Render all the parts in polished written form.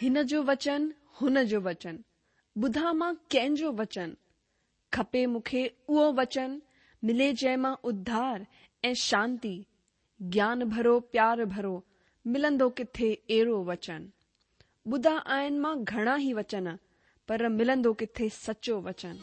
هن جو وچن، هن جو وچن، ٻڌان مان ڪنهن جو وچن؟ کپي مون کي اهو وچن، ملي جنهن مان اڌار ۽ شانتي، گيان ڀرو پيار ڀرو، ملندو ڪٿي اهڙو وچن؟ ٻڌا آهن مان گهڻا ئي وچن، پر ملندو ڪٿي سچو وچن؟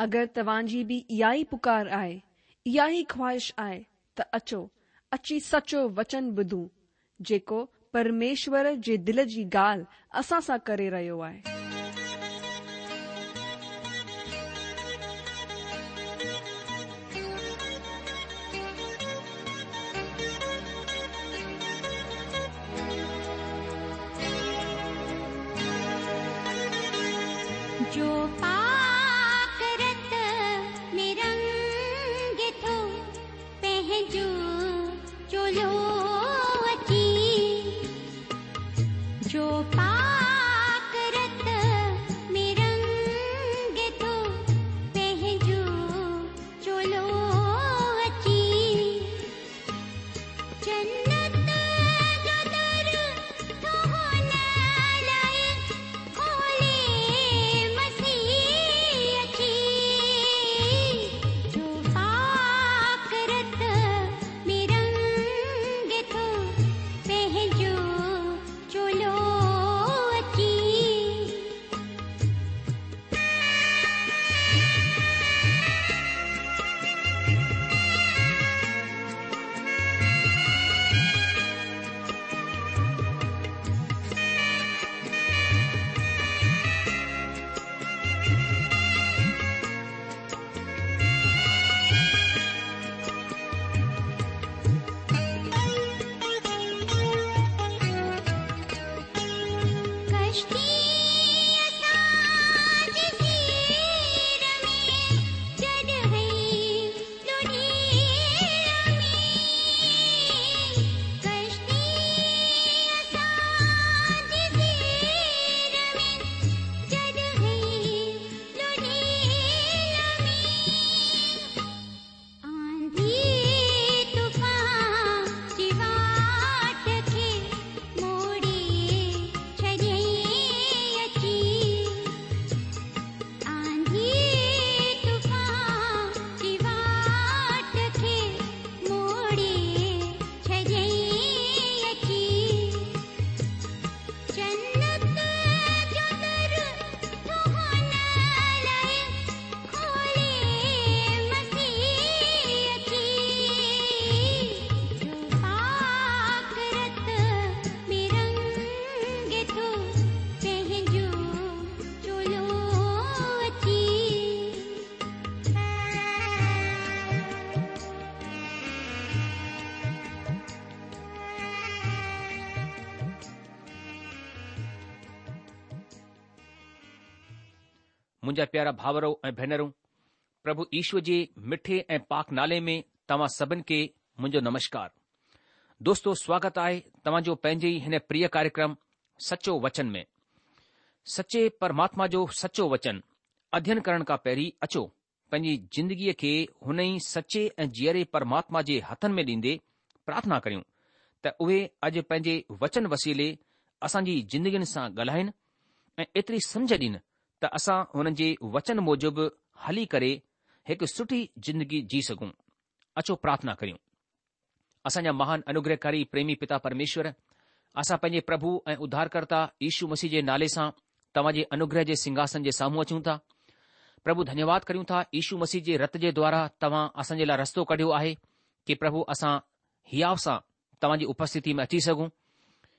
اگر توهان جي به اها ئي پڪار آهي، اها ئي خواهش آهي ته اچو، اچي سچو وچن ٻڌون، جيڪو پرميشور جي دل جي ڳالهه اسان سان ڪري رهيو آهي. جو پاڪ رت ۾ رنگي ٿو پنهنجو چولو اچي جو پاڪ رت ۾ رنگي ٿو پنهنجو چولو اچي جنت جو در ٿو هن لاء کولي مسيح اچي جو پاڪ رت ۾ رنگي ٿو پنهنجو چولو اچي. ڪشتي اسان جي سير ۾ جڏهن لڙهي ۾ ڪشتي اسان جي سير ۾ جڏهن لڙهي ۾ آنڌي طوفان جي واٽ کي موڙي ڇڏيائين اچي. آنڌي طوفان جي واٽ کي موڙي ڇڏيائين اچي. جنت جو در ٿو هن لاء کولي مسيح اچي. جو پاڪ رت ۾ رنگي ٿو پنهنجو چولو اچي. منهنجا پيارا ڀائرو ۽ ڀينرون، پرڀو يشو جي مٺي ۽ پاڪ نالي ۾ توهان سڀن کي منهنجو نمشڪار. دوستو سواگت آهي توهان جو پنهنجي ئي هن پريه ڪاريڪرم سچو وچن ۾. سچي پرماتما جو سچو وچن اڌين ڪرڻ کان پهرين اچو پنهنجي زندگيء کي هن ئي سچي ۽ جيئري پرماتما جي هٿن ۾ ڏيندي پرارٿنا ڪريون ته اهي اڄ پنهنجي وچن وسيلي اسان جي زندگين سان ڳالهائين ۽ ايتري سمجهه ڏين ته اسان هنن جي وچن موجب هلي ڪري هڪ سٺي زندگي جي سگهون. اچو پرارٿنا ڪريون. اسان جا مهان انوگرهڪاري پريمي پتا پرميشور، اسان پنهنجي پرڀو ۽ اڌارڪرتا يشو مسيح جي نالي سان توهان جي انوگرهه جي سنگهاسن جي سامهون اچون ٿا. پرڀو ڌنيواد ڪريون ٿا يشو مسيح جي رت جي دوارا توهان اسان جي لاء رستو ڪڍيو آهي ڪي پرڀو اسان هياو سان توهان جي اپسٿتي ۾ اچي سگهون.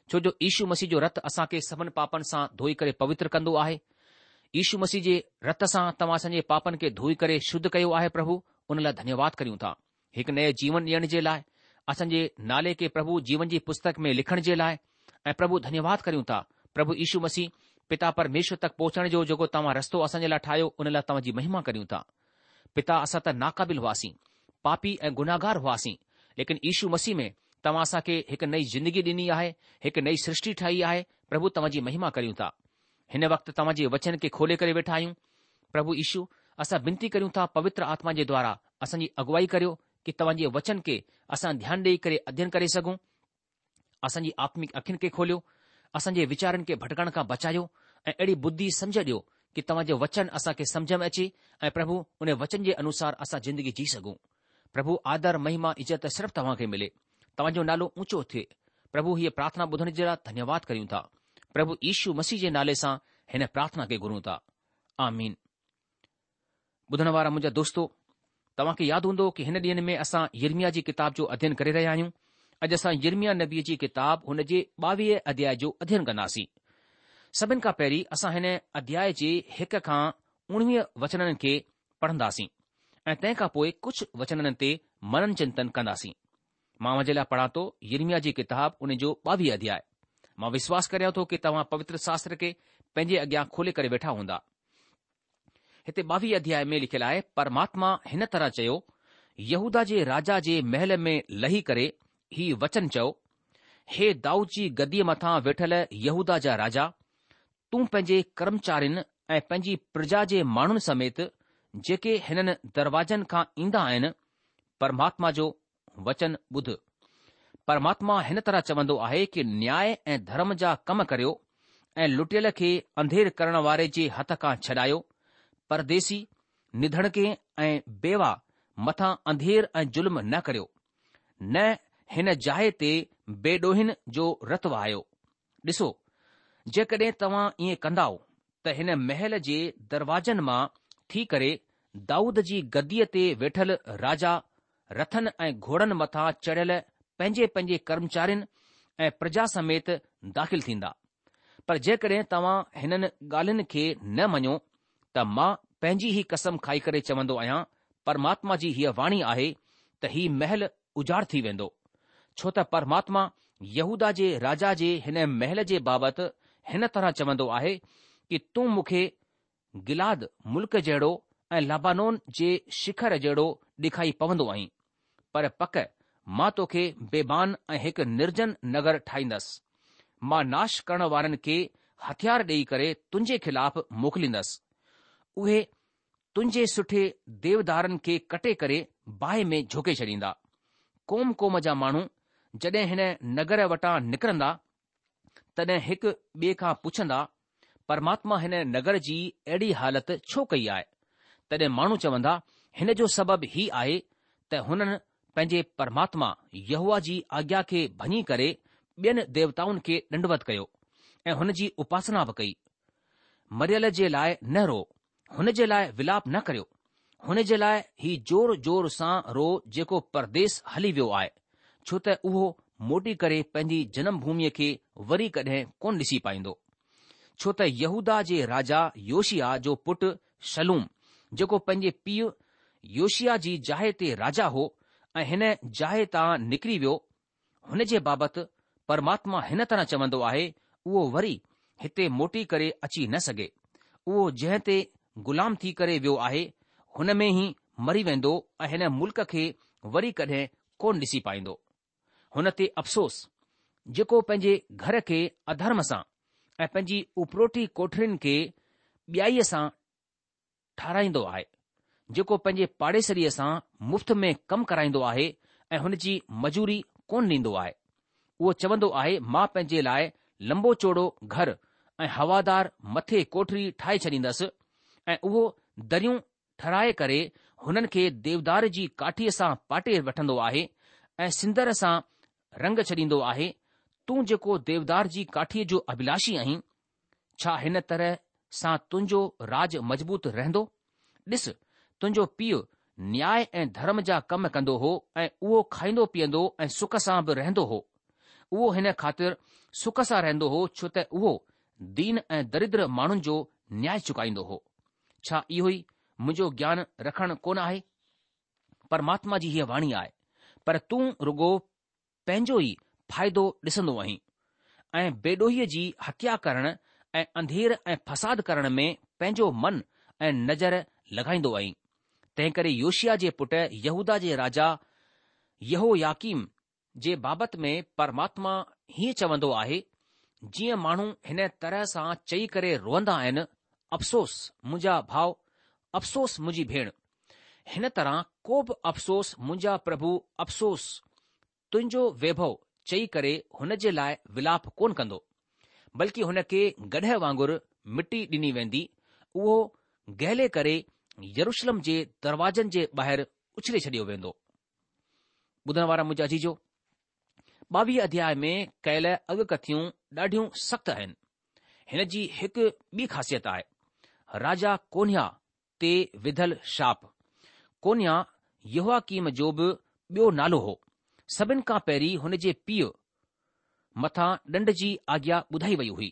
ڇو جو يشو مسيح جو رت اسان کي سڀن پاپن سان ڌوئي ڪري پوتر ڪندو آهي. يشو مسيح جي رت سان توهان اسان جي پاپن کي ڌوئي ڪري شڌ ڪيو آهي پرڀو ان لاء ڌنيواد ڪريون ٿا. هڪ نئين جيون ڏيڻ جي لاء، اسان جي نالي کي پرڀو جيون جي پستڪ ۾ لکڻ جي لاء ۽ پرڀو ڌنيواد ڪريون ٿا پرڀو يشو مسيح پتا پرميشور تڪ پهچڻ جو جيڪو توهان رستو اسان جي لاء ٺاهيو ان لاء توهان جي مهما ڪريون ٿا. پتا اسان ته ناقابل هئاسين، پاپي ۽ گنهگار هئاسين، ليڪن يشو مسيح ۾ توهان اسان کي هڪ نئين زندگي ڏني آهي، هڪ نئين سرشٽي ٺاهي آهي، پرڀو توهان جي مهما ڪريون ٿا. هن وقت توهان جي وچن کي کولي ڪري ويٺا آهيون. پرڀو يشو، اسان بنتي ڪريون ٿا پوتر آتما جي دوارا اسان جي اڳوائي ڪريو ڪي توهان جي وچن کي اسان ڌيان ڏيئي ڪري اڌين ڪري سگهون. اسان جي آتمڪ اکين کي کوليو، اسان جي ويچارن کي ڀٽڪڻ کان بچايو ۽ اهڙي ٻڌي سمجهه ڏيو ڪي توهان جو وچن اسان کي سمجهه ۾ اچي ۽ پرڀو ان وچن جي انوسار اسان زندگي جي سگهون. پرڀو آدر، مهما، عزت صرف توهان کي ملي. توهان جو نالو اونچو ٿئي. پرڀو هيء پرارٿنا ٻڌڻ جي لاء ڌنيواد ڪريون ٿا. پرڀو يشو مسيح جي نالي سان هن پرارٿنا کي گهرون ٿا. آمين. ٻڌڻ وارا منهنجا دوستو، توهان کي ياد هوندو ڪي هن ڏينهن ۾ اسان يرمياه جي ڪتاب جو اڌين ڪري رهيا آهيون. اڄ اسان يرمياه نبيء جي ڪتاب هن جي ٻاويهه اڌياء جو اڌين ڪنداسين. سڀن کان پهرين اسان هن اڌياء جي هڪ کان اڻويهه وچنن کي پڙهنداسين ۽ تنهن کان پوء ڪجهه وچنن تي منن چنتن ڪنداسين. مان اوهان جي لاء پڙهان ٿو يرمياه جي ڪتاب ان جو ٻاويهه اڌياء. مان وشواس ڪريان ٿو ڪي توهان پوتر شاستر کي پنهنجي اڳيان کولي ڪري ويٺا هوندا. هتي ٻاويهه اڌياء ۾ لکيل آهي، پرماتما هن طرح چيو، يهوداه جي راجا جي محل ۾ لهي ڪري هي وچن چئو، هي دائود جي گديء مٿان ويٺل يهوداه جا راجا، تون پنهنجي ڪرمچارين ۽ پنهنجي پرجا جي ماڻهن سميت جيڪي هنن دروازن کان ايندا آهن، پرماتما جو وچن ٻڌ. پرماتما هن طرح چوندو آهي ڪي نياء ۽ ڌرم جا ڪم ڪريو ۽ لٽيل کي انڌير ڪرڻ واري جي هٿ کان ڇڏايو، پرديسي، نڌڻڪي ۽ بيوه مٿان انڌير ۽ ظلم نه ڪريو، نه هن جاء تي بيڏوهين جو رت وهايو. ڏسو، جيڪڏهن توهان ائين ڪندائو ته هن محل جي دروازن مان ٿي ڪري دائود جي گديء تي ويٺل راجا رٿن ۽ گهوڙن مٿان چڙهيل پنهنجي پنهنجي ڪرمچارين ۽ پرجا سميت داخل ٿيندا. پر جيڪڏهن توهان هنن ڳالهين کي نه مڃو ته مان پنهنجي ئي قسم کائي ڪري چوندو آهيان، پرماتما جي هيء واڻي آهي ته هي محل اجاڙ ٿي ويندو، ڇو ته پرماتما يهوداه جي راجا جي هن محل جي بابت هن طرح چوندو آهي ڪي تون مون کي گلعاد ملڪ جهڙو ۽ لبانون جي شکر جهڙو ڏيکائي پوندو آهين، پر پڪ مان توکي بيابان ۽ هڪ نرجن نگر ٺاهيندس. مان ناش ڪرڻ وارن کي هٿيار ڏيئي ڪري تنهنجي خلاف موڪليندس. اهي تنهنجي سٺي ديودارن کي ڪٽي ڪري باهه ۾ جهوڪي ڇڏيندا. قوم قوم جا ماڻهو جڏهن هن نگر وٽان نڪرندا، تڏهن هڪ ٻئي کان پڇندا، پرماتما هن نگر جي اهڙي حالت ڇو ڪئي آهي؟ تڏهن ماڻهو چوندا، هن جو سبب هي آهي ته هنن پنهنجي پرماتما يهوه جي آگيا کي ڀڃي ڪري ٻين ديوتائن کي ڏنڊوت ڪيو ۽ هن جي اپاسنا به ڪئي. مريل جي لاء نه روئو، هن جي لاء ولاپ نه ڪريو، هن جي لاء هي زور زور سان روئو جيڪو پرديس هلي ويو آهي، ڇو ته اهو موٽي ڪري پنهنجي جنم ڀوميء کي وري ڪڏهن ڪونه ڏسي پائيندو. ڇو ته يهوداه جي راجا يوشياه جو پٽ شلوم، جيڪو پنهنجي پيء يوشياه جي جاء تي راجا هو ۽ هن جاء تان نڪري ويو، هن جي بابت پرماتما هن طرح چوندو آهي، اهو وري هتي موٽي ڪري اچي نه سگهي. اهو جنهن تي غلام ٿي ڪري ويو آهي، هن ۾ ئي مري ويندو ۽ هن ملڪ کي وري ڪڏهن ڪونه ڏسي پائيندو. هن تي افسوس، جيڪو پنهنجي گهر کي اڌرم سان ۽ پنهنجي اپروٽي ڪوٺرين کي ٻيائيء سان ٺهرائيندو آهي، جيڪو پنهنجي پاڙيسريء سان مفت ۾ ڪم ڪرائيندو آهي ۽ هن جي مزوري ڪونه ڏيندو آهي. اهو چوندو آهي، مان پنهنجي لاء لنبو چوڙو گهر ۽ هوادار مٿي ڪوٺري ٺاهي ڇڏيندس ۽ اهو دريون ٺهرائي ڪري هنن کي ديودار جي ڪاٺيء سان پاٽي وٺندو آهي ۽ سندر سان رنگ ڇڏيندو آهي، تون جيڪو ديودار جي ڪاٺيء جو اڀلاشي آهين، ڇا هن طرح سان تنهنجو راڄ مضبوط رهندو؟ ڏس، تنهنجو پيء نياء ۽ ڌرم جا ڪم ڪندو هو ۽ اهو کائيندو پيئندو ۽ سک سان به رهندو هو. اهو هن خاطر سک سان رهندو هو ڇو ته اهو دين ۽ دريدر ماڻهن جو نياء چڪائيندو هو. ڇا اهو ئي منهنجو گيان رکڻ ڪونه آهي؟ پرماتما جي هيء واڻي آهي. پر تون رڳو پنهنجو ئي فائدو ڏسندو آهين ۽ بيڏوهيء جي هتيا ڪرڻ ۽ انڌير ۽ فساد ڪرڻ ۾ پنهنجو من ۽ نظر لڳائيندو آهين. تنهنڪري يوشيا جي پٽ يهوداه جي راجا يهوياڪيم جي بابت ۾ پرماتما هيئن چوندو آهي، جيئن ماڻهو هن طرح سان چئي ڪري روئندا آهن، افسوس منهنجا ڀاء، افسوس منهنجي ڀيڻ. هن طرح ڪو به افسوس منهنجا پرڀو افسوس تنهنجو ويڀو چئي ڪري هن جي لاء ولاپ ڪونه ڪندو، بلڪه هن کي گڏهه وانگر مٽي ڏني ويندي، اهو گهلي ڪري يروشلم جي دروازن جي ٻاهر اڇلي ڇڏيو ويندو. ٻڌڻ وارا منهنجا عزيزو! 22 اڌياء ۾ ڪيل اڳڪٿيون ڏاڍيون سخت آهن. هن جي هڪ ٻي خاصيت آهي، راجا ڪونياه تي وڌل شاپ. ڪونياه يهوياڪيم جو به ٻيو نالو هو. سڀن کان پهرين هن جي پيء مٿان ڏنڊ جي آگيا ٻڌائي وئي هئي.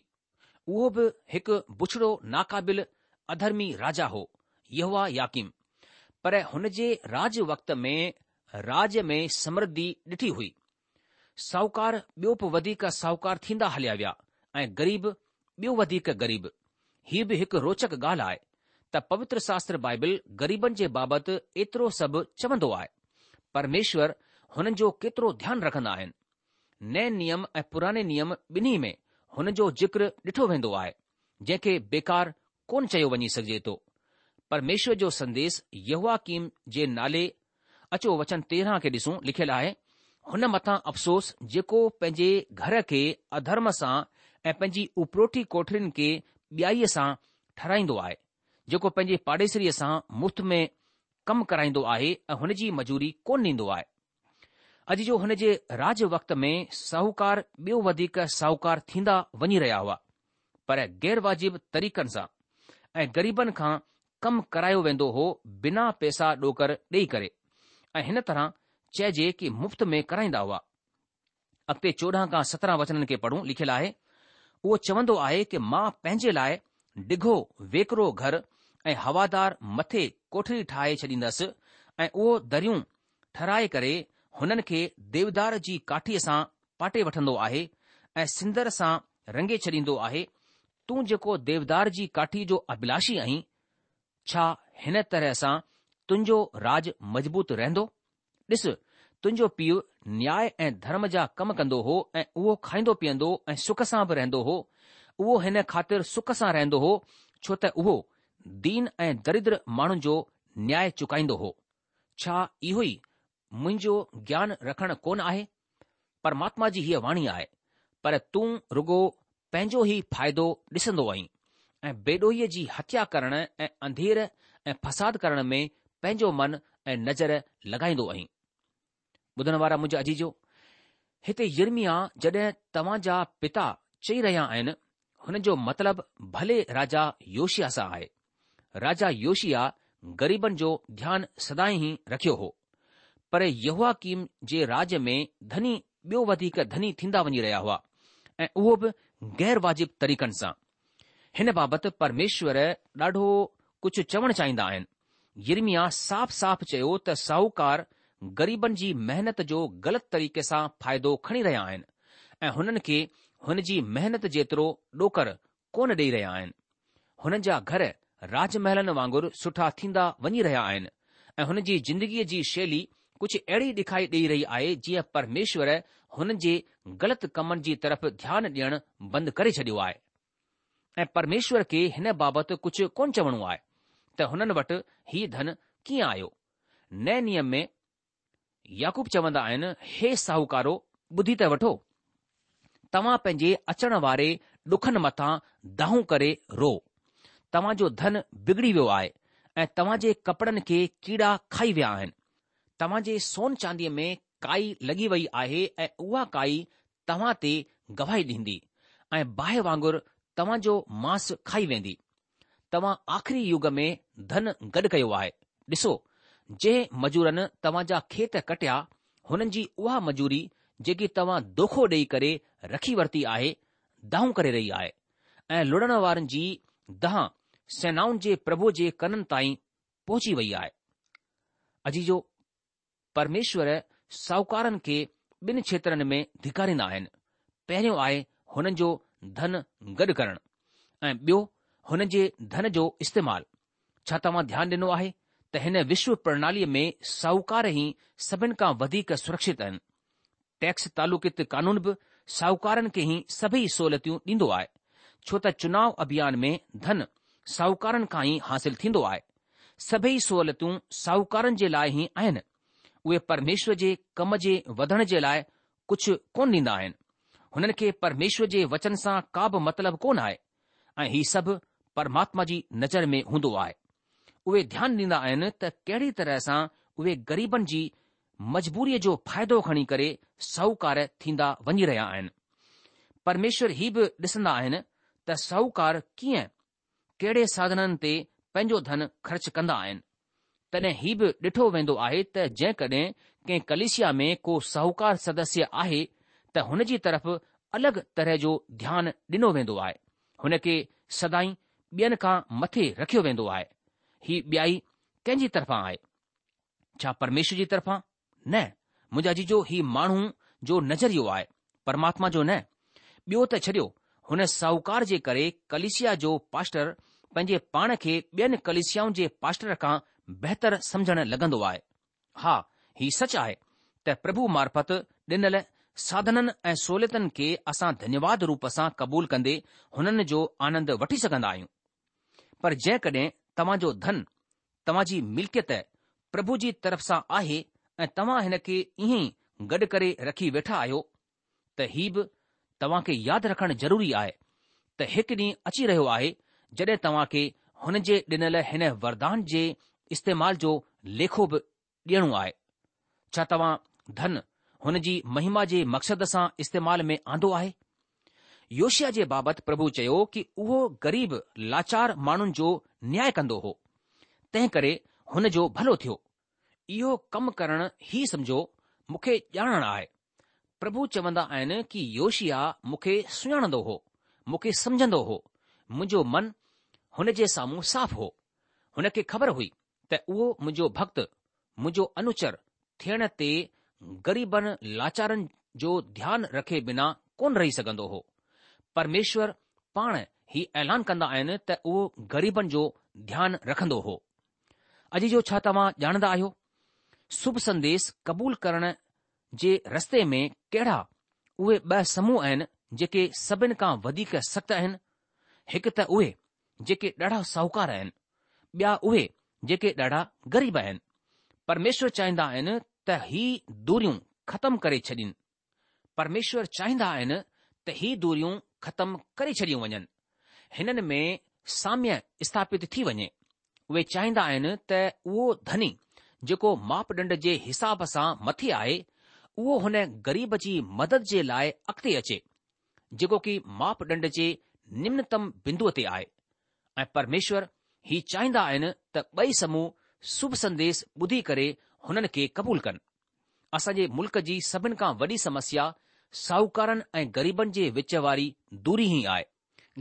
اهو به هڪ بڇڙو ناقابل اڌرمي راجا هو، يهوياڪيم. پر هن جي راڄ وقت ۾ راڄ ۾ سمرڌي ڏٺي هئي. ساهوڪار ٻيو به وڌيڪ ساهوڪار ٿيندا هليا ويا ۽ غريب ٻيو وڌيڪ غريب. هيء به هڪ روچڪ ڳالهه آهي ته پوتر شاستر بائبل غريبن جي بابت ايترو سڀ چوندو آهي. پرميشور هنن جو ڪيترو ڌيان رکندا آهن. نئين نيم ۽ پراڻي نيم ٻنهي ۾ هن جو ذڪر ڏٺو ويندو آهي، جنهن کي بيڪار ڪونه چيو وڃي سگهجي ٿو. پرميشور جو سنديس يهوياڪيم جي نالي اچو وچن 13 کي ڏسون، لکيل آهي، هن مٿان افسوس جيڪو پنهنجي گهر کي اڌرم سان ۽ پنهنجي اپروٺي ڪوٺڙين کي ٻيائيء سان ٺهرائيندو آهي، جيڪو پنهنجي پاڙيسريء سان مفت ۾ ڪم ڪرائيندو آهي ۽ هن جي مزوري ڪونه ڏيندو آهي. اڄ جو هن جي راڄ وقت ۾ ساهوڪار ٻيو وڌيڪ ساهوڪار ٿيندا وڃي رهيا هئا، پر غير واجب طريقن سان ۽ غريبن کان ڪم ڪرايو ويندو هو بنا پئسا ڏوڪر ڏيئي ڪري ۽ هن طرح چئجي ڪي مفت ۾ ڪرائيندا هئا. اڳتي 14 کان 17 وچنن کي پڙهون، لکيل آهي، اهو چوندو آهي ڪي مان پنهنجي لاء ڊگهو ويڪرو گهر ۽ هوادار مٿي ڪوٺڙي ٺاهي ڇڏيندس ۽ اهو دريون ٺهرائي ڪري هنن کي ديودار جي ڪاٺيء سان پاٽي وٺندو آهي ۽ سندر سان رنگي ڇڏيندو آهي، تون جيڪو ديودار جي ڪاٺيء جو اڀلاشي آهين، ڇا هن طرح سان تنهنجو راڄ مضبوط رهندو؟ ڏس، تنهنجو پيء نياء ۽ ڌرم جا ڪم ڪندو هو ۽ اهو کائيندو پيئندو ۽ سک سان به رهندو هو، اهو هن خاطر سک سان رهندو هو، ڇو ته اهو دين ۽ دريدر ماڻهن جو نياء چڪائيندو هو. ڇا اهو ئي منهنجو گيان رکڻ ڪونه آهي؟ پرماتما جي هيء واڻي آهي، پر تون رڳو پنهنجو ئي فائدو ڏسندو آهين ۽ بيڏوهيء جي هتيا ڪرڻ ۽ انڌير ۽ فساد ڪرڻ ۾ پنهنجو من ۽ نظر لڳائيندو آهين. ٻڌڻ وارا منهنجا عزيزو! هتي يرمياه جڏهن توهان جا پتا چئي رهيا آهن، هن جو مطلب ڀلي راجا يوشيا سان آهي. راجا يوشيا غريبن جو ڌيان سدائين ئي رکيو هو. پر يهوياڪيم جي راڄ ۾ ڌني ٻيو وڌيڪ ڌني ٿيندا وڃي رهيا هئا ۽ اهو به غير واجب طريقن سان. هن بابت پرميشور ڏاڍو ڪجهه چوڻ چاهيندا آهن. يرمياه صاف صاف چيو ته ساهوڪار غريبن جي محنت جو غلط طريقي سان فائدو کڻي رهيا آهن ۽ هنن کي هن جي محنت جيترو ڏوڪر ڪونه ڏئي رهيا آهن. هنن جا گهر راج محلن وانگر سٺا ٿيندا وڃي رهيا آهن ۽ هن جي زندگيء جي شيلي ڪجهه اهڙي ڏکائي ڏئي رهي آهي جيئن پرميشور هنن جي غلط ڪمن جي طرف ڌيان ڏيڻ بند ڪري ڇڏيو آهي. ۽ پرميشور کي هن بابت ڪجهه ڪونه چوڻو آهي ته هنن وٽ هي ڌن ڪيئن آيو. نئين نيم ۾ يعقوب چوندا آهن، هي ساهوڪارو ٻڌي ته وٺو، توهان پنهنجي اچڻ واري ڏکن مٿان دانهون ڪري روئو. توهان جو ڌن بگڙي ويو آهي ۽ توهان جي ڪپڙن کي ڪيڙا کائي ويا آهن. توهان جي سون چانديء ۾ ڪائي لڳي وئي آهي ۽ اها ڪائي توهان تي گواهي ڏيندي ۽ باهه وانگر توهان جو ماس کائي ويندي. توهان آخري يگ ۾ ڌن گڏ ڪيو آهي. ڏسو، جنهن مزورن توهان جا کيت ڪٽيا، هنن جي اها مزوري جيڪي توهان دوکو ڏيئي ڪري رکي ورتي آهي، دانهون ڪري رهي آهي ۽ لڻڻ وارن جي دانهن سينائن جي پرڀوء جي ڪنن تائين پهچي وئي آهي. عزيزو! پرميشور ساهوڪارن کي ٻن کيترن ۾ ڌڪاريندا آهن، پهريون آهي هنن جو ڌن گڏ ڪرڻ ۽ ٻيو هنن جي ڌن جو استعمال. ڇا توهان ڌيان ڏنو آهي ته هن وشو پرڻاليء ۾ ساهوڪار ئي سڀن کان وڌيڪ سرڪشت آهن. ٽيڪس تعلقيت قانون به ساهوڪارن کي ئي سڀئي سهولتيون ڏيندو آهي، ڇو ته چناء اڀيان ۾ ڌن ساهوڪارن کان ئي حاصل ٿيندو آهي. سڀئي سهولتون ساهوڪارن جي لاء ئي آهن. اهي پرميشور جي ڪم جي وڌڻ جي لاء ڪجهه ڪونه ڏيندا آهن. هنن کي پرميشور جي وچن سان ڪا به مطلب ڪونه آهي ۽ هي سڀ پرماتما جي نظر ۾ هوندو آهي. اهي ڌيان ڏيندا آهن ته ڪهڙي طرح سان اهي غريبن جي مجبوريء جو فائدو کڻي ڪري ساهوڪار ٿيندا وڃي رهيا آهن. پرميشور هي به ڏسندا آهن ته ساهوڪار ڪيئن ڪهڙي ساڌنن تي پنهنجو ڌن خرچ ڪندا آهن. تڏهن هي به ڏٺو ويندو آهي ته جيڪڏهن ڪنهن ڪليسيا ۾ ڪو ساهوڪار سدسيه آهي ته هن جي طرف الڳ طرح جو ڌيان ڏنو ويندو آهي. هن کي سدائين ٻين کان مٿي رکيو ويندو آهي. هي ٻيائي ڪنهن جي طرفان آهي؟ ڇا پرميشور جي طرفان؟ نه، منهنجا عزيزو هي ماڻهو جو نظريو آهي، پرماتما جو نه. ٻيو ته ڇڏيو، هن ساهوڪار جي ڪري ڪليسيا جو پاسٽر پنهنجي پاڻ کي ٻين ڪليسيائن جي پاسٽر کان بهتر سمجهڻ لڳندو آهي. ها، هي سچ آهي ته پرڀو معرفت ڏنل ساڌنن ۽ سهوليتن کي اسان ڌنيواد روپ سان قبول ڪندي هنن جو آنند وٺي سگهندا آهيون. پر جيڪڏهن توهان جو ڌن توهان جي ملڪيت پرڀو جي طرف سان آهي ۽ توهان هن کي ائين ئي گڏ ڪري رکي ويٺا آهيو ته هي به توهان کي ياد رکڻ ضروري آهي ته هڪ ڏينهن اچي رهيو آهي جڏهن توهان کي هن جي ڏنل هن وردان جي استعمال جو ليکو به ڏيڻو آهي. ڇا توهان ڌن هن جي مهما جي مقصد سان استعمال ۾ آندو آهي؟ يوشيا جي بابت پرڀو چيو ڪي اهو غريب لاچار ماڻهن جو نياء ڪندو هو، تنهن ڪري هن جو ڀلو ٿيو. اهو ڪم ڪرڻ هي سمجهو مون کي ڄاڻڻ آهي. پرڀو چوندا آهن ڪي يوشيا مون کي سڃاڻندو هو، مون کي سمجهندو هو، منهنجو من هن جي سامهون صاف هو. هن کي خبر هئي ته اهو منهنجو ڀڳت، منهنجو انوچر ٿيڻ تي غريبن لاچارن جو ڌيان رکي بنا ڪونه رهي سگهندو هو. پرميشور پاڻ هي اعلان ڪندا آهن ته اهو غريبن جو ڌيان رکندو هو. عزيزو ڇا توهان ڄاڻندا آهيو شڀ سنديش قبول ڪرڻ جي رستي ۾ ڪهڙا اهي ٻه سموهه آهن جيڪي سڀن کان وڌيڪ سخت آهن؟ هڪ ته اهي جيڪي ڏاڍا ساهوڪار آهن، ٻيا اهي جيڪي ڏاڍا غريب آهن. پرميشور چاهيندا آهن ته هي دوريون ختم ڪري ڇڏين. پرميشور چاهيندا آهن ته هي دوريون ختم ڪري ڇڏيون وڃن. هنن ۾ ساميه اسٿاپت ٿي وڃي. اهي چاهيندا آهن ته اهو ڌني جيڪو ماپڏنڊ جي حساب سان مٿي آهي، اهو هن غريب جي مدد جي لاء اڳتي اچي. جيڪو ڪي ماپڏنڊ جي نمنتم بندوء تي آهي ۽ پرميشور هي چاهيندا آهن ته ٻئي سموهه شڀ سنديش ٻڌي ڪري هنن کي قبول ڪن. اسان جي ملڪ جي سڀن کان وڏي سمسيا ساهوڪارن ۽ غريبن جي وچ واري دوري ئي آهي.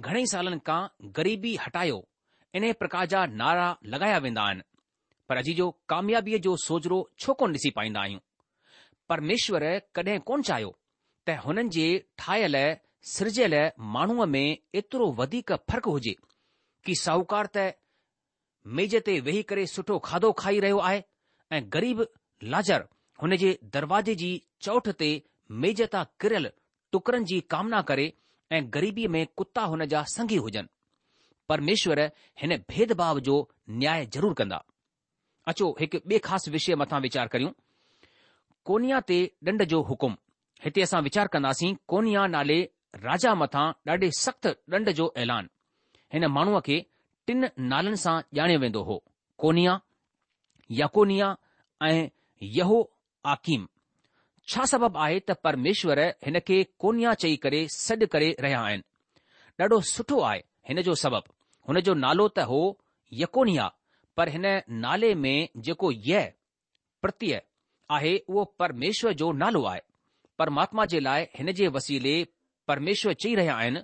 گهڻئي سالن کان غريبي هٽايو انهي پرڪار جا نعرا لڳايا ويندا آهن پر عزيزو ڪاميابيء جو سوجهرو ڇو ڪونه ڏسي پائيندا آهيون؟ پرميشور ڪڏهن ڪونه چاهيو ته هنن جي ٺاهيل سرجيل ماڻهوء ۾ ايترو وڌيڪ فرق هجي ڪي ساهوڪار ته ميز تي ويهي ڪري سٺو کاڌو کائي رهيو آهي ۽ غريب لاجر هن جي دروازي جي چوٺ تي ميز تان ڪريل ٽڪرن جي ڪامنا ڪري ۽ غريبيء ۾ ڪتا هن جا سنگي هجن. پرميشور هن ڀيد ڀاو جو نياء ضرور ڪندا. اچو هڪ ٻئي خاص وشيه مٿان ويچار ڪريون. ڪونيا تي ڏنڊ جو حڪم. هتي اسان ويچار ڪنداسين ڪونيا نالي راجا مٿان ڏاڍي سخت ڏنڊ جو اعلان. هن ماڻهوء کي ٽن نالن سان ڄاڻيو ويندو هو، ڪونيا، يڪونيا ۽ يهوآڪيم. ڇا سبب آهي ته پرميشور هن کي ڪونيا چئي ڪري سڏ ڪري رهيا آهن؟ ڏاڍو سٺو آهي هن جو سبب. هن جو نالو ته هو يڪونيا پر هن نالي ۾ جيڪو يه، پرتيه، آهي اهو پرميشور جو نالو آهي. پرماتما جي لاء هن جي وسيلي پرميشور چئي رهيا آهن،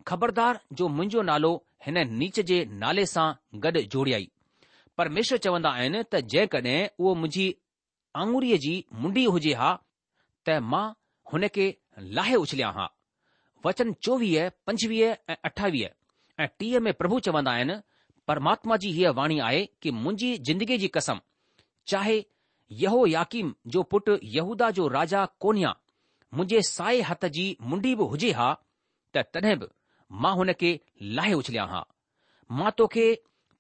خبردار جو منهنجو نالو هن نيچ جي نالي سان گڏ جوڙيائي. پرميشور چوندا آهن ته جيڪڏهن اهو منهنجي آڱريء جي منڊي هجي ها ته مان هن کي لاهي اڇليان ها. وچن 24، 25 ۽ 28 ۽ 30 ۾ پرڀو چوندا آهن، پرماتما جي هيء واڻي آهي ڪي منهنجي زندگيء جي قسم، چاهي يهوياڪيم جو پٽ يهوداه جو راجا ڪونيا منهنجي سائي هٿ جي منڊي به هجي ها ته تڏهن به مان هن کي لاهي اڇليان ها. مان توکي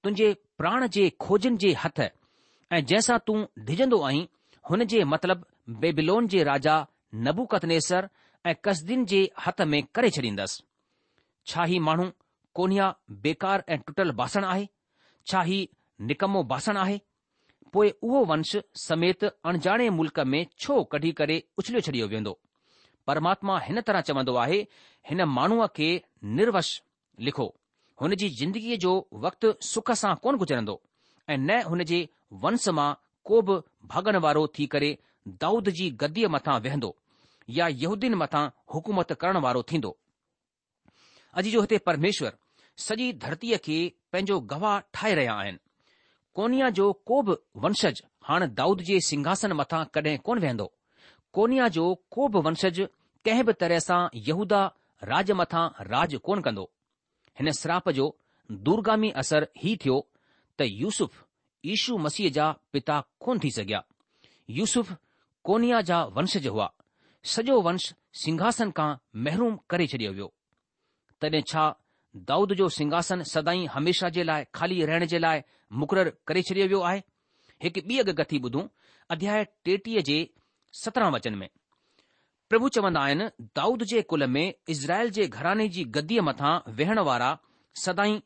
تنهنجي پراڻ جي کوجين جي هٿ ۽ جنهن سان تون ڊڄندو آهين، هن جي مطلب بيبيلون جي راجا نبوڪدنيسر ۽ ڪسدين جي هٿ ۾ ڪري ڇڏيندس. ڇا هي ماڻهو ڪونيا بيڪار ۽ ٽٽل باسڻ آهي؟ ڇا هي نڪمو باسڻ آهي؟ پوء اهو ونش سميت اڻڄاڻي ملڪ ۾ ڇو ڪڍي ڪري اڇليو ڇڏيو ويندو؟ پرماتما هن طرح چوندو آهي، هن ماڻهوء کي نرونش لکو، هن جي زندگيء جو وقت سک سان ڪونه گذرندو ۽ نه هن جي ونس مان ڪو به ڀاڳن وارو ٿي ڪري دائود جي گديء مٿان ويهندو يا يهودين مٿان حڪومت ڪرڻ وارو ٿيندو. عزيزو هتي پرميشور سڄي ڌرتيء کي پنهنجو گواهه ٺاهي رهيا آهن. ڪونيا جو ڪو به ونشج هاڻ دائود جي سنگهاسن مٿان ڪڏهن ڪونه ويهندو. ڪونيا جو ڪو به ونشج ڪنهن به طرح سان يهوداه راڄ مٿان راڄ ڪونه ڪندو. هن سراپ جو دورگامي اثر هي ٿيو ته يوسف يشو مسيح جا پتا ڪونه ٿي سگهيا. يوسف ڪونيا جا ونشج هئا. سڄو ونش سنگهاسن کان محروم ڪري ڇڏيو ويو. تڏهن ڇا دائود جو سنگهاسن سدائين هميشه جي لاء خالي رهڻ جي لاء مقرر ڪري ڇڏيو ويو آهي؟ هڪ ٻي اڳڪٿي ٻڌون اڌياء 33 جي 17 وچن ۾. پرڀو چوندا آهن، دائود جي ڪل ۾ اسرائيل جي گهراڻي جي گديء مٿان ويهڻ وارا سدائين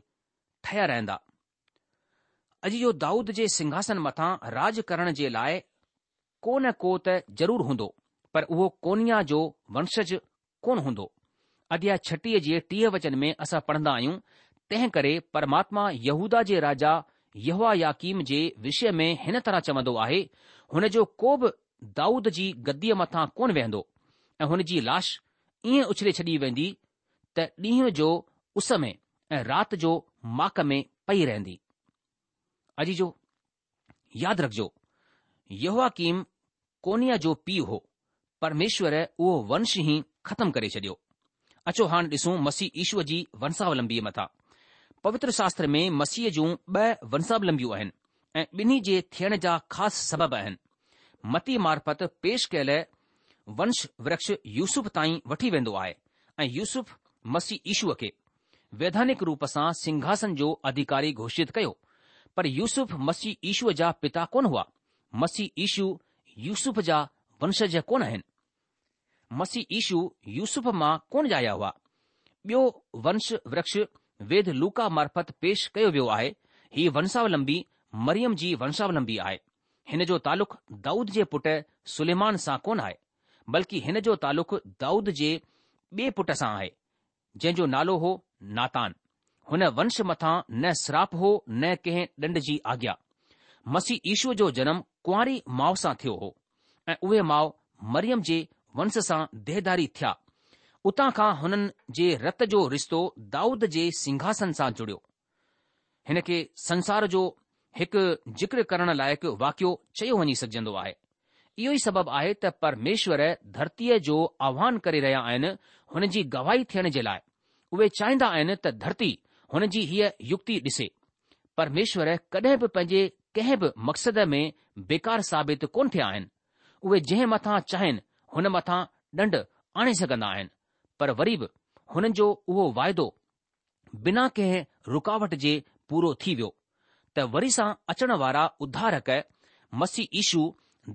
ٺهيا رهندا. عزيزو دائود جي سنگهاسن مٿان راڄ ڪرڻ جي لاء ڪو نه ڪو ته ضرور هوندو، پر اهو ڪونيا جو ونشج ڪونه هوندو. اڌياء 36 جي 30 وچن ۾ اسان پڙهندا آهيون، تنهن ڪري پرماتما يهوداه جي راجا يهوياڪيم جي وشيه ۾ هن طرح چوندو آهي، هن جو ڪو به دائود جي گديء مٿان ڪونه ويهندو ۽ هن جي لاش ائين اڇلي ڇڏي ويندي ته ڏينهن جو اس ۾ ۽ رات جو ماڪ ۾ پئي رهندي. عزيزو! ياد رکجو، يهوياڪيم ڪونيا جو پيء هو، پرميشور اهو ونش ئي ختم ڪري ڇڏيو. اچو هاڻ ڏسون مسيح يشو جي ونساولمبيء مٿان. پوتر شاستر ۾ مسيح جون ٻه ونساولمبيون آهن ۽ ٻنهي جي ٿيڻ جا خاص سبب آهن. متي معرفت پيش ڪيل ونش ورڪش يوسف تائين وٺي ويندو آهي ۽ يوسف مسيح يشو کي ويڌانڪ روپ سان سنگهاسن جو اڌيڪاري گهوشت ڪيو. پر يوسف مسيح يشو جا پتا ڪونه هئا. مسيح يشو يوسف جا ونشج ڪونه آهن. مسيح يشو يوسف مان ڪونه ڄايا هئا. ٻيو ونش ورڪش ويد لوڪا معرفت پيش ڪيو ويو آهي. هي ونشاولمبي مريم جي ونشاولمبي آهي. هن جو تعلق دائود جي پٽ سليمان سان ڪونه آهي، بلڪه هن جو تعلق دائود جي ٻئي پٽ سان آهي، جنهن جو نالو هو ناتان. هن ونش مٿان نه سراپ هو نه ڪنهن ڏنڊ جي آگيا. مسيح يشو جو جنم ڪنواري ماء سان ٿيو هو ۽ اهي ماء مريم جي ونش سان ديهداري ٿيا. اتان کان هنن جي رت جو رشتو دائود جي سنگهاسن سان جڙيو. هن کي سنسار جو هڪ ذڪر ڪرڻ لائق واقعو چيو وڃي سگهجندو آهي. اهو ئي سبب آهي ته پرميشور ڌرتيء جو آهوان ڪري رهيا آهن هن جي گواهي ٿيڻ جي لاء. اهي چاهيندا آهن ته ڌرتي هن جي هيء يڪتي ڏسي. پرميشور ڪڏهن به پنهنجي ڪنهن به مقصد ۾ بيڪار ثابت ڪونه ٿيا آهن. اهي جنهن مٿان چاهين هن مٿان ڏنڊ آڻي سگهندا آهن پر وري به هنن جو اهو واعدو بنا ڪنهن رڪاوٽ جي پورو ٿي ويو ته وري سان اچڻ وارا اڌارڪ مسيح يشو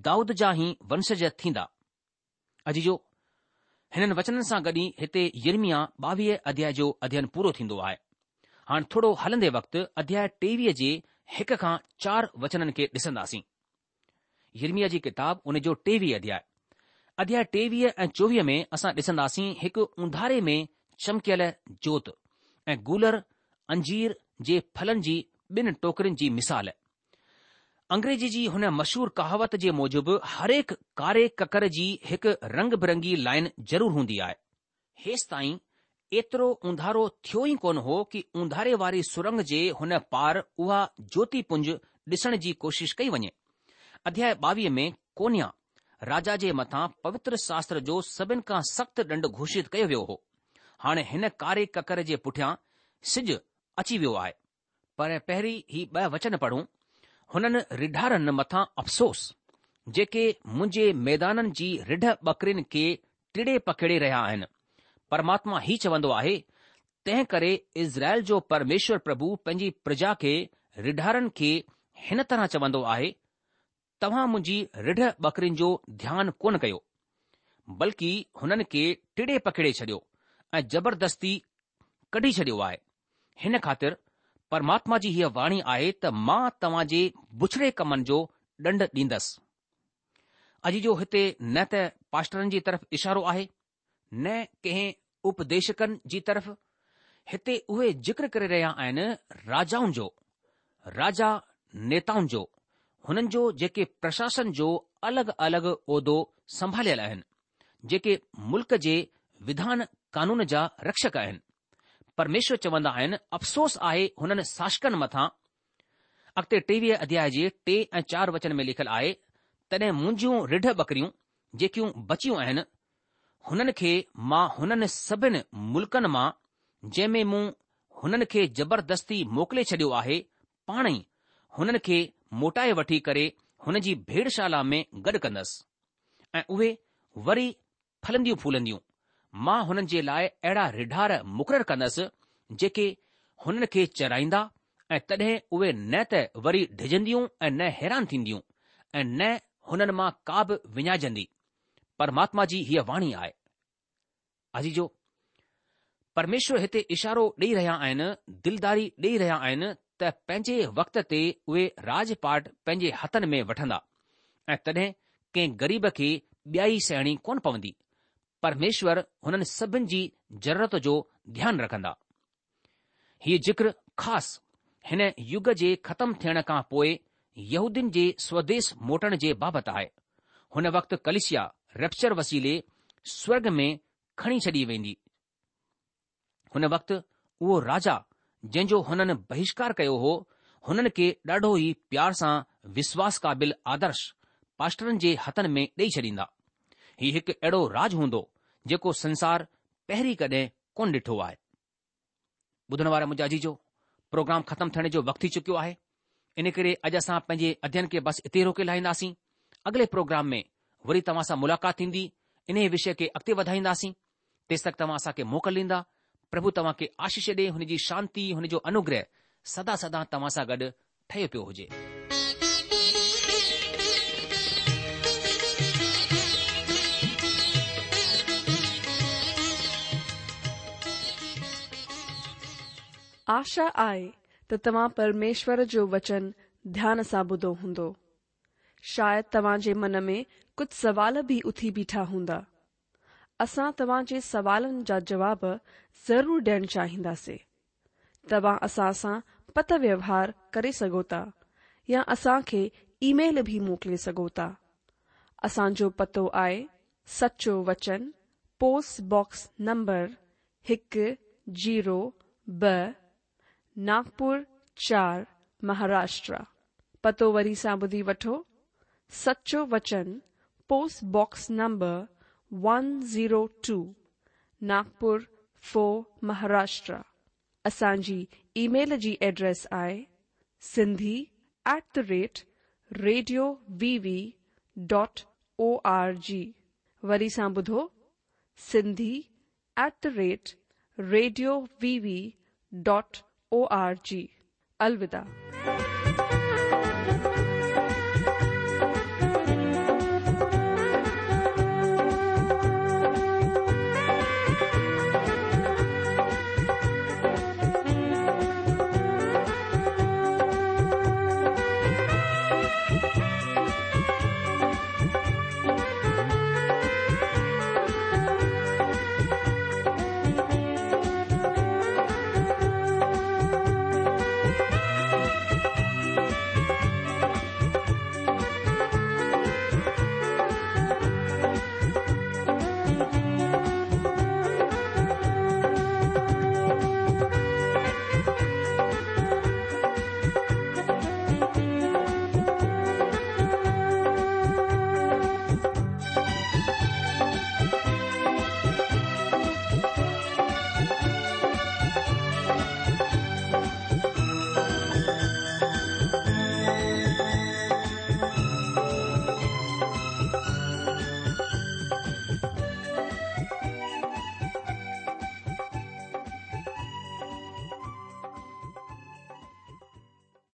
دائود جا ئي ونشج ٿيندا. عزيزو! هنن وچنن سان گڏ ئي هتي يرمياه ٻاويهه اڌياء جو اڌيين پورو ٿيندو آهي. هاڻ ٿورو هلندي وقت اڌياء ٽيويهه جي هڪ کان چار وچنن کي ڏسنداسين. يرمياه جي ڪتاب ان جو ٽيويهه اڌياء. اڌياء ٽيويهه ۽ چوويهه ۾ اسان ڏسنداسين هڪ اونڌاري ۾ چمڪيل جوت ۽ گولر انجير جي ڦلن جي ٻن ٽوڪرين جي مثال. انگريزي جي هن مشهور ڪهاوت جي موجب هرهڪ ڪاري ڪڪر جي هڪ رنگ برنگي لائين ضرور هوندي آهي. هيستائين ايترو اونڌارو ٿيو ئي ڪونه هو ڪي اونڌاري واري سرنگ جي هن پار اها جوتي پنج ڏسڻ جي ڪوشش ڪئي وڃي. اڌياء ٻاويهه ۾ ڪونيا راجا جي مٿان پوتر شاستر جو سڀن کان سخت ڏنڊ گهوشت ڪيو ويو هو. هاڻي هن ڪاري ڪڪر جي پٺيان سج اچي ويو آهي. پر پهرين هي ٻه وچن پڙهون، هنن رڍارن مٿان افسوس، جيڪي منهنجي ميدانن جي رڍ ٻڪرين کي ٽڙي پکيڙي رهيا آهن. پرماتما هي چوندو آهي، تنهن ڪري اسرائيل جو پرميشور پرڀو پنهنجي پرجا کي رڍارن کي هن طرح چوندو آهي، توهان منهنجي رڍ ٻڪرين جو ڌيان ڪونه ڪيو، بلڪ هنن کي ٽڙي پکيڙي ڇڏيو ۽ زبردستي ڪڍي ڇڏيو آهي. هن خاطر پرماتما جي هيء واڻي آهي ته مان توهان جي بڇڙي ڪمن جو ڏنڊ ڏيندس. عزيزو هتي نه ته پاسٽرن جي طرف اشارو آهي، نه ڪنهن اپديشڪن جي طرف، هتي اهي ذڪر ڪري رهيا آهن راجائن جو، راجا نيتائن جو، هنن جو جيڪي پرشاسن جو الڳ الڳ عهدو سنڀاليل آهن، جيڪي ملڪ جي وڌان قانون جا رڪشڪ آهن. پرميشور چوندا آهن، افسوس آهي هنن شاسڪن مٿان اڳتي 23 اڌياء جي 3 ۽ 4 وچن ۾ لکيل آهي، تڏهن منهنجيون رڍ ٻڪريون جيڪيون بچيون آهن، هنن کي مان هنن سڀن ملڪن مان، جنهن ۾ مون هنن کي زبردستي موڪلي ڇڏيو آهي، پاڻ ئي هنن کي موٽائي وٺي ڪري هن جي ڀيڙشالا ۾ گڏ ڪندس، ۽ اهي وري ڦلنديون ڦولنديون. مان هنن جي لاء اهڙا رڍار مقرر ڪندس، جيڪي هنن کي چرائيندا ۽ تڏهن اهي نه ته وري ڊڄنديون ۽ نه حيران ٿينديون ۽ نه هنن مان ڪا به وڃائجندي. پرماتما جي هيء واڻي آهي. عزيزو! پرميشور هتي اشارو ڏيئي رهيا آهن، دلداري ڏيئي رهيا آهن ته پنهنجي وقت تي اهي راڄ پاٽ پنهنجي هٿن ۾ وٺندا ۽ تڏهن ڪنهن غريب کي ٻيائي سهڻي ڪونه پوندي. پرميشور هنن سڀن جي ضرورت جو ڌيان رکندا. هيء ذڪر خاص هن يگ جي ختم ٿيڻ کان پوء يهودين جي سوديس موٽڻ جي بابت آهي. هن وقت ڪليسيا ريپچر وسيلي سورڳ ۾ کڻي ڇڏي ويندي. هن وقت اهو راجا جنهن جو هنن بهشڪار ڪيو هو، هنن کي ڏاڍو ئي پيار سان وشواس قابل آدرش پاسٽرن جي هٿن ۾ ڏيئي ڇڏيندا. هي هڪ اهڙو راڄ هوندو جيڪو سنسار پهرين ڪڏهن ڪونه ڏٺو آهي. ٻڌڻ وارا منهنجا عزيزو، پروگرام ختم ٿيڻ جو وقت ٿي چڪيو آهي، ان ڪري اڄ اسان پنهنجي اڌيين کي بس اتي روڪي لاهينداسين. اڳلي پروگرام ۾ وري توهان سان ملاقات ٿيندي، انهيء وشيه کي اڳتي وڌائينداسين. تيستڪ توهان اسان کي موڪل ڏيندا. پرڀو توهان کي آشيش ڏي، هن جي شانتي، هن جو انوگره سدا سدا توهان سان گڏ ٺهيو پيو هجي. آشا آهي ته توهان پرميشور جو وچن ڌيان سان ٻڌو هوندو. شايد توهان جي من ۾ ڪجهه سوال به اٿي بيٺا هوندا. اسان توهان جي سوالن جا جواب ضرور ڏيڻ چاهينداسين. توهان اسان سان پتر ويوهار ڪري سگهو ٿا يا اسان کي اي ميل به موڪلي سگهو ٿا. اسان جو پتو آهي سچو وچن پوسٽ باڪس نمبر هڪ زيرو ٻه ناگپور چار مهاراشٽرا. پتو وري سان ٻڌي وٺو سچو وچن post box number one zero two Nagpur four Maharashtra. اسان جي اي ميل جي ايڊريس آهي Sindhi at the rate radio V V dot O R G وري سان ٻڌو Sindhi at the rate radio V V dot O R G الوداع.